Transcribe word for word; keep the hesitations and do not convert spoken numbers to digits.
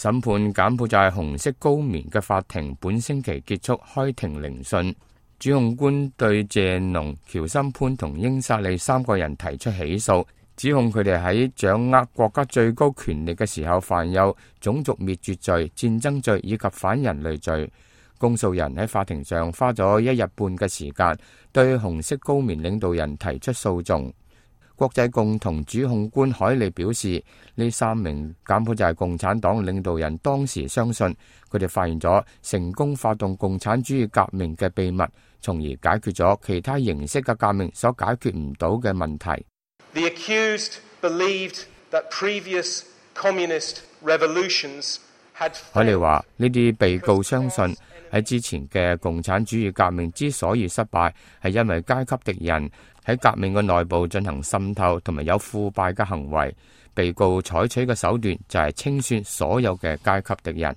審判柬埔寨紅色高棉嘅法庭本星期結束開庭聆訊，主控官對謝農、喬森潘同英薩利三個人提出起訴，指控佢哋喺掌握國家最高權力嘅時候犯有種族滅絕罪、戰爭罪以及反人類罪。公訴人喺法庭上花咗一日半嘅時間，對紅色高棉領導人提出訴訟。國際共同主控官海利表示，呢三名柬埔寨共產黨領導人當時相信佢哋發現咗成功發動共產主義革命嘅秘密，從而解決咗其他形式嘅革命所解決唔到嘅問題。The accused believed that previous communist revolutions had... 海利話：呢啲被告相信喺之前嘅共產主義革命之所以失敗，係因為階級敵人喺革命嘅內部進行滲透同埋有腐敗嘅行為。被告採取嘅手段就係清算所有嘅階級敵人。